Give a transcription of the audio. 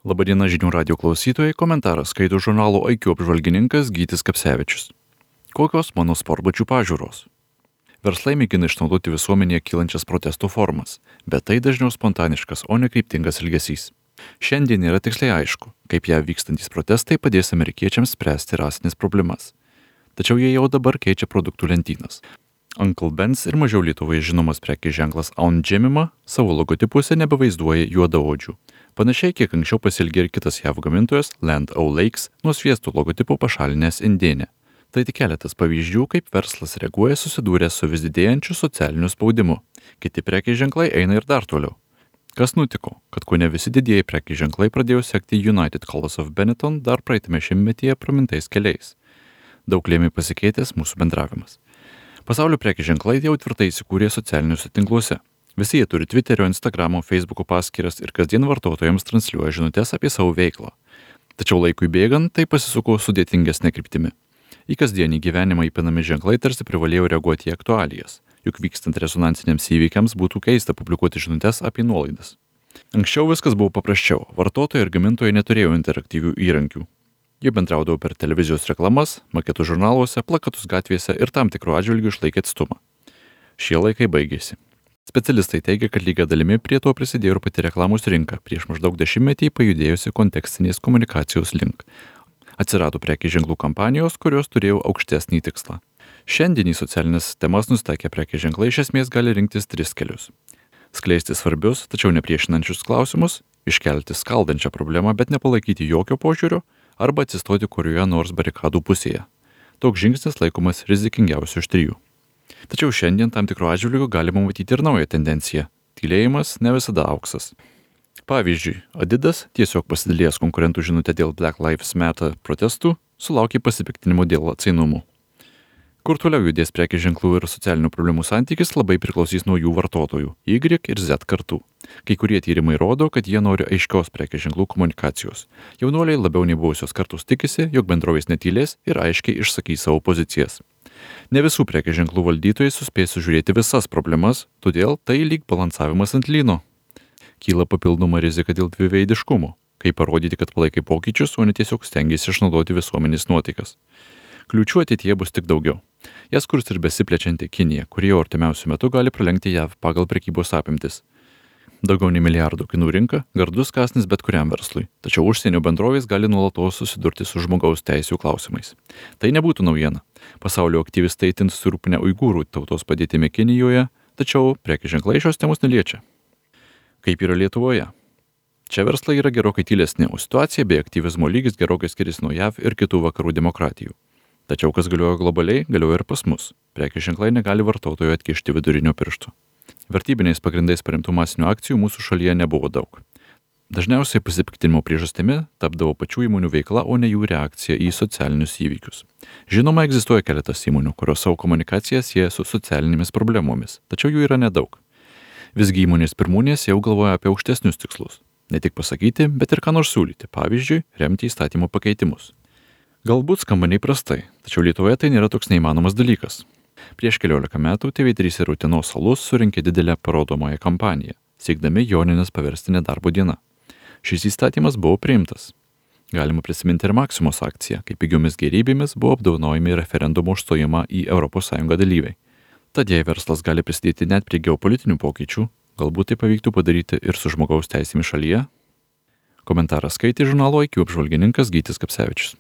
Labadiena žinių radio klausytojai, komentaras skaito žurnalo IQ apžvalgininkas Gytis Kapsevičius. Kokios mano sportbačių pažiūros? Verslai mėgina išnaudoti visuomenėje kylančias protesto formas, bet tai dažniau spontaniškas, o ne kryptingas elgesys. Šiandien yra tiksliai aišku, kaip ją vykstantys protestai padės amerikiečiams spręsti rasinės problemas. Tačiau jie jau dabar keičia produktų lentynas. Uncle Ben's ir mažiau Lietuvoje žinomas prekės ženklas Aunt Jemima savo logotipuose nebevaizduoja juodaodžių. Panašiai kiek anksčiau pasielgė ir kitas JAV gamintojas Land O'Lakes nuo sviesto logotipo pašalinęs indėnę. Tai tik keletas pavyzdžių, kaip verslas reaguoja susidūręs su vis didėjančiu socialiniu spaudimu. Kiti prekės ženklai eina ir dar toliau. Kas nutiko, kad kone visi didieji prekės ženklai pradėjo sekti United Colors of Benetton dar praeitame šimtmetyje pramintais keliais. Daug lėmė pasikeitęs mūsų bendravimas. Pasaulio prekės ženklai jau tvirtai įsikūrė socialiniuose tinkluose. Visi jie turi Twitterio, Instagramo, Facebooko paskyras ir kasdien vartotojams transliuoja žinutes apie savo veiklą. Tačiau laikui bėgant tai pasisuko sudėtingesnė kryptimi. Į kasdienį gyvenimą įpinami ženklai tarsi privalėjo reaguoti į aktualijas, juk vykstant rezonansiniams įvykiams būtų keista publikuoti žinutes apie nuolaidas. Anksčiau viskas buvo paprasčiau, vartotojai ir gamintojai neturėjo interaktyvių įrankių. Jie bendraudavo per televizijos reklamas, maketų žurnaluose, plakatus gatvėse ir tam tikrų atžvilgių išlaikė atstumą. Šie laikai baigėsi. Specialistai teigia, kad lygia dalimi prie to prisidėjo ir pati reklamos rinka, prieš maždaug dešimtmetį pajudėjusi kontekstinės komunikacijos link. Atsirado prekės ženklų kampanijos, kurios turėjo aukštesnį tikslą. Šiandien į socialinės temas nustaikę prekės ženklai iš esmės gali rinktis tris kelius. Skleisti svarbius, tačiau nepriešinančius klausimus, iškelti skaldančią problemą, bet nepalaikyti jokio požiūrio, arba atsistoti kurioje nors barikadų pusėje. Toks žingsnis laikomas rizikingiausiu iš trijų. Tačiau šiandien tam tikro atžvilgiu galima matyti ir naują tendenciją. Tylėjimas ne visada auksas. Pavyzdžiui, Adidas, tiesiog pasidalėjęs konkurentų žinutę dėl Black Lives Matter protestų, sulaukė pasipiktinimo dėl atsainumo. Kur toliau judės prekės ženklų ir socialinių problemų santykis labai priklausys nuo jų vartotojų – Y ir Z kartų. Kai kurie tyrimai rodo, kad jie nori aiškios prekės ženklų komunikacijos. Jaunuoliai labiau nei buvusios kartos tikisi, jog bendrovės netylės ir aiškiai išsakys savo pozicijas. Ne visų prekės ženklų valdytojai suspės sužiūrėti visas problemas, todėl tai lyg balansavimas ant lyno. Kyla papildoma rizika dėl dviveidiškumo, kaip parodyti, kad palaikai pokyčius, o ne tiesiog stengiasi išnaudoti visuomenės nuotaikas. Kliūčių ateityje bus tik daugiau. Jas kurs ir besiplečianti Kinija, kuri jau artimiausiu metu gali pralenkti JAV pagal prekybos apimtis. Daugiau nei milijardų kinų rinka – gardus kąsnis bet kuriam verslui, tačiau užsienio bendrovės gali nuolatos susidurti su žmogaus teisių klausimais. Tai nebūtų naujiena. Pasaulio aktyvistai itin susirūpinę uigūrų tautos padėtimi Kinijoje, tačiau prekės ženklai šios temos neliečia. Kaip yra Lietuvoje? Čia verslai yra gerokai tylesni, o situacija bei aktyvizmo lygis gerokai skiriasi nuo JAV ir kitų vakarų demokratijų. Tačiau kas galioja globaliai, galioja ir pas mus. Prekės ženklai negali vartotojų atkišti vidurinio piršto. Vertybiniais pagrindais paremtų masinių akcijų mūsų šalyje nebuvo daug. Dažniausiai pasipiktinimo priežastimi tapdavo pačių įmonių veikla, o ne jų reakcija į socialinius įvykius. Žinoma, egzistuoja keletas įmonių, kurios savo komunikaciją sieja su socialinėmis problemomis, tačiau jų yra nedaug. Visgi įmonės pirmūnės jau galvoja apie aukštesnius tikslus. Ne tik pasakyti, bet ir ką nors siūlyti, pavyzdžiui, remti įstatymo pakeitimus. Galbūt skamba neįprastai, tačiau Lietuvoje tai nėra toks neįmanomas dalykas. Prieš 14 metų TV3 ir Utenos alus surinkė didelę parodomąją kampaniją, siekdami Jonines paversti nedarbo diena. Šis įstatymas buvo priimtas. Galima prisiminti ir Maksimos akciją, kai pigiomis gėrybėmis buvo apdovanojami referendumo užstojimą į ES dalyviai. Tad jei verslas gali prisidėti net prie geopolitinių pokyčių, galbūt tai pavyktų padaryti ir su žmogaus teisėmis šalyje? Komentarą skaitė žurnalo IQ apžvalgininkas Gytis Kapsevičius.